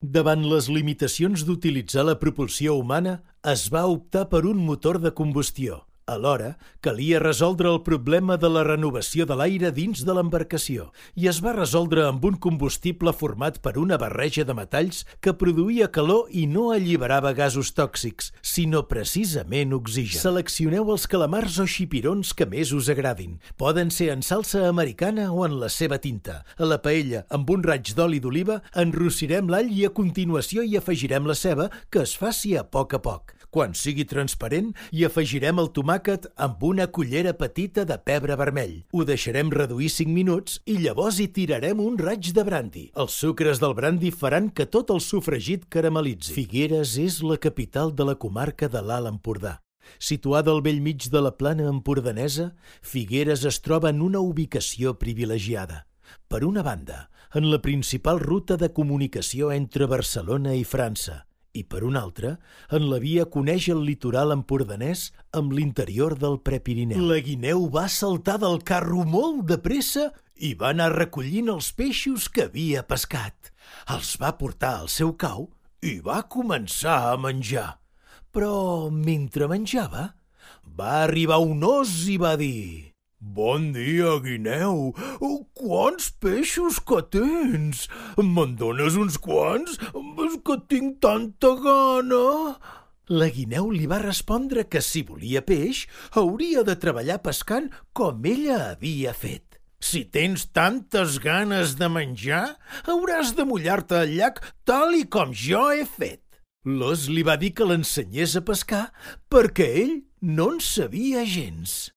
Davant les limitacions d'utilitzar la propulsió humana, es va optar per un motor de combustió. Alhora, calia resoldre el problema de la renovació de l'aire dins de l'embarcació i es va resoldre amb un combustible format per una barreja de metalls que produïa calor i no alliberava gasos tòxics, sinó precisament oxigen. Seleccioneu els calamars o xipirons que més us agradin. Poden ser en salsa americana o en la seva tinta. A la paella, amb un raig d'oli d'oliva, enrossirem l'all i a continuació hi afegirem la ceba, que es faci a poc. Quan sigui transparent, hi afegirem el tomàquet amb una cullera petita de pebre vermell. Ho deixarem reduir 5 minuts i llavors hi tirarem un raig de brandi. Els sucres del brandi faran que tot el sofregit caramelitzi. Figueres és la capital de la comarca de l'Alt Empordà. Situada al bell mig de la plana empordanesa, Figueres es troba en una ubicació privilegiada. Per una banda, en la principal ruta de comunicació entre Barcelona i França, i per una altra, en la via que uneix el litoral empordanès amb l'interior del Prepirineu. La guineu va saltar del carro molt de pressa i va anar recollint els peixos que havia pescat. Els va portar al seu cau i va començar a menjar. Però mentre menjava, va arribar un os i va dir: «Bon dia, guineu! Quants peixos que tens! Me'n dones uns quants? És que tinc tanta gana!» La guineu li va respondre que si volia peix, hauria de treballar pescant com ella havia fet. «Si tens tantes ganes de menjar, hauràs de mullar-te al llac tal i com jo he fet». L'os li va dir que l'ensenyés a pescar perquè ell no en sabia gens.